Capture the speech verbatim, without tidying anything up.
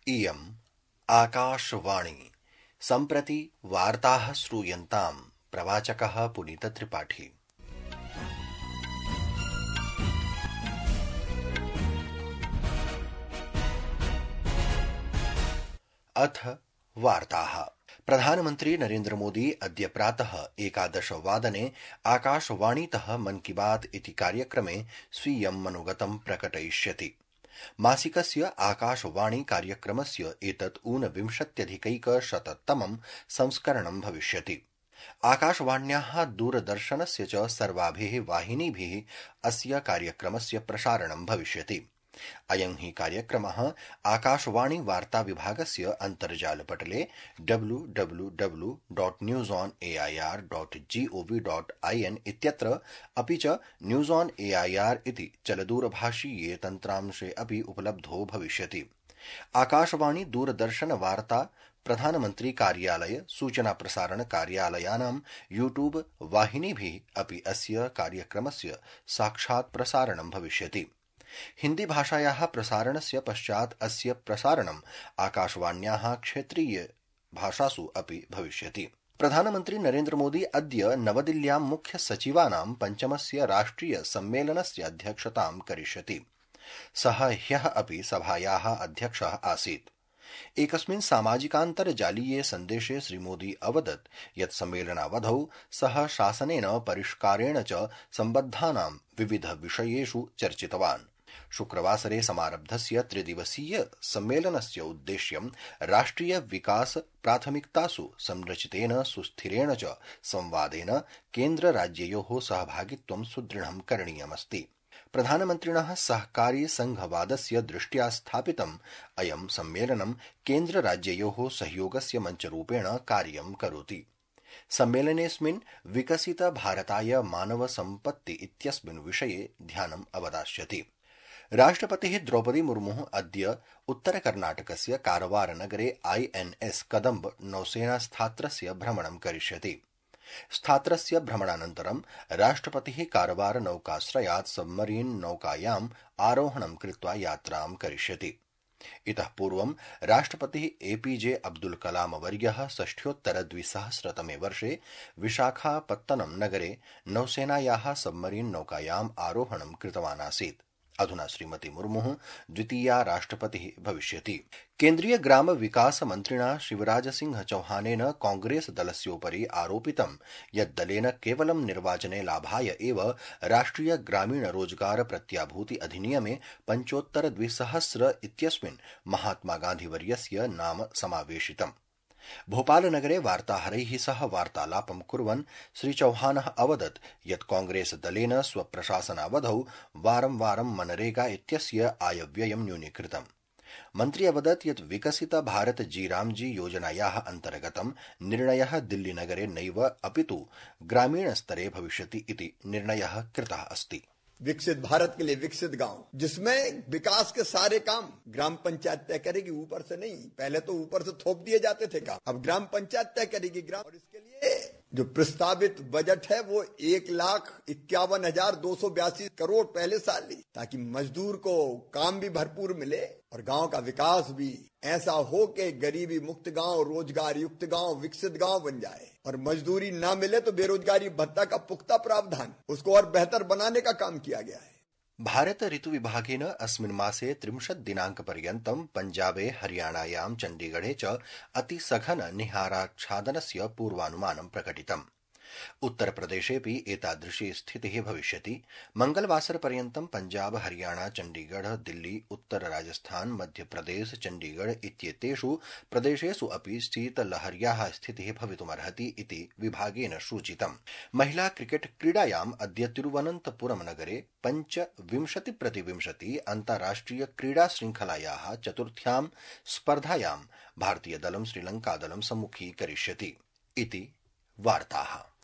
इयम् आकाशवाणी सम्प्रति वार्ताः श्रूयन्ताम् प्रवाचकः पुनीतत्रिपाठी। अथ वार्ताः। प्रधानमन्त्री नरेन्द्र मोदी अद्य प्रातः एकादश वादने आकाशवाणीतः मन की बात इति कार्यक्रमे स्वीयं मनोगतं प्रकटयिष्यति। मासिकस्य आकाशवाणी कार्यक्रमस्य एतत् ऊनविंशत्यधिकैकशततमं संस्करणं भविष्यति। आकाशवाण्याः दूरदर्शनस्य च सर्वाभिः वाहिनीभिः अस्य कार्यक्रमस्य प्रसारणं भविष्यति। अयं हि कार्यक्रमः आकाशवाणी वार्ता विभागस्य अन्तर्जालपटले W W W dot news on A I R dot G O V dot I N इत्यत्र अपि च news on A I R इति चलदूरभाषीये तन्त्रांशे अपि उपलब्धो भविष्यति। आकाशवाणी दूरदर्शन वार्ता प्रधानमन्त्री कार्यालय सूचना प्रसारण कार्यालयानां यूट्यूब वाहिनीभिः अपि अस्य कार्यक्रमस्य साक्षात् प्रसारणं भविष्यति। हिन्दी भाषायाः प्रसारणस्य पश्चात् अस्य प्रसारणम् आकाशवाण्याः क्षेत्रीय भाषासु अपि भविष्यति। प्रधानमन्त्री नरेन्द्र मोदी अद्य नवदिल्ल्यां मुख्य सचिवानां पञ्चमस्य राष्ट्रिय सम्मेलनस्य अध्यक्षतां करिष्यति। सः ह्यः अपि सभायाः अध्यक्षः आसीत्। एकस्मिन् सामाजिकान्तर्जालीये सन्देशे श्रीमोदी अवदत् यत् सम्मेलनावधौ सः शासनेन परिष्कारेण च सम्बद्धानां विविध विषयेषु चर्चितवान्। शुक्रवासरे समारब्धस्य त्रिदिवसीय सम्मेलनस्य उद्देश्यं राष्ट्रिय विकास प्राथमिकतासु संरचितेन सुस्थिरेण च संवादेन केन्द्र राज्ययोः सहभागित्वं सुदृढं करणीयमस्ति। प्रधानमन्त्रिणः सहकारी संघवादस्य दृष्ट्या स्थापितम् अयं सम्मेलनं केन्द्र राज्ययोः सहयोगस्य मञ्चरूपेण कार्यं करोति। सम्मेलनेऽस्मिन् विकसित भारताय मानव सम्पत्ति इत्यस्मिन् विषये ध्यानम् अवदास्यति। राष्ट्रपतिः द्रौपदी मुर्मुः अद्य उत्तरकर्णाटकस्य कारवारनगरे आई एन एस कदम्ब नौसेनास्थात्रस्य भ्रमणं करिष्यति। स्थात्रस्य भ्रमणानन्तरं राष्ट्रपतिः कारवार नौकाश्रयात् सबमरीन् नौकायाम् आरोहणं कृत्वा यात्रां करिष्यति। इतः पूर्वं राष्ट्रपतिः एपीजे अब्दुल कलाम वर्यः षष्ठ्योत्तर द्विसहस्रतमे वर्षे विशाखापत्तनम नगरे नौसेनायाः सबमरीन् नौकायाम् आरोहणं कृतवान् आसीत्। अधुना श्रीमती मुर्मुः द्वितीया राष्ट्रपतिः भविष्यति। केन्द्रीय ग्राम विकास मन्त्रिणा शिवराज सिंह चौहानेन कांग्रेस दलस्योपरि आरोपितं यत् दलेन केवलं निर्वाचने लाभाय एव राष्ट्रिय ग्रामीण रोजगार प्रत्याभूति अधिनियमे पञ्चोत्तर द्विसहस्र इत्यस्मिन् महात्मा गान्धीवर्यस्य नाम समावेशितम्। भोपालनगरे वार्ताहरैः सह वार्तालापं कुर्वन् श्री चौहानः अवदत् यत् कांग्रेस दलेन स्वप्रशासनावधौ वारं वारं मनरेगा इत्यस्य आयव्ययं न्यूनीकृतम्। मन्त्री अवदत् यत् विकसित भारत जी रामजी योजनायाः अन्तर्गतं निर्णयः दिल्लीनगरे नैव अपितु ग्रामीणस्तरे भविष्यति इति निर्णयः कृतः अस्ति। विकसित भारत के लिए विकसित गांव, जिसमें विकास के सारे काम ग्राम पंचायत तय करेगी, ऊपर से नहीं। पहले तो ऊपर से थोप दिए जाते थे काम, अब ग्राम पंचायत तय करेगी ग्राम। और इसके लिए जो प्रस्तावित बजट है वो एक लाख इक्यावन हजार दो सौ बयासी करोड़ पहले साल ली, ताकि मजदूर को काम भी भरपूर मिले और गांव का विकास भी ऐसा हो कि गरीबी मुक्त गांव, रोजगार युक्त गांव, विकसित गांव बन जाए। और मजदूरी ना मिले तो बेरोजगारी भत्ता का पुख्ता प्रावधान, उसको और बेहतर बनाने का काम किया गया है। भारत ऋतु विभागेन अस्मिन् मासे त्रिंशत् दिनाङ्कपर्यन्तं पञ्जाबे हरियाणायां चण्डीगढे च अतिसघन निहाराच्छादनस्य पूर्वानुमानं प्रकटितम्। उत्तरप्रदेशेऽपि एतादृशी स्थितिः भविष्यति। मंगलवासरपर्यन्तं पञ्जाब हरियाणा चण्डीगढ़ दिल्ली उत्तर राजस्थान मध्यप्रदेश चण्डीगढ़ इत्येतेषु प्रदेशेषु अपि शीतलहर्याः स्थितिः भवितुमर्हति इति विभागेन सूचितम्। महिला क्रिकेट क्रीडायाम् अद्य तिरुवनन्तपुरम नगरे पञ्चविंशति प्रतिविंशति अन्ताराष्ट्रिय क्रीडा श्रृंखलायाः चतुर्थ्यां स्पर्धायां भारतीयदलं श्रीलङ्कादलं सम्मुखीकरिष्यति इति वार्ताः।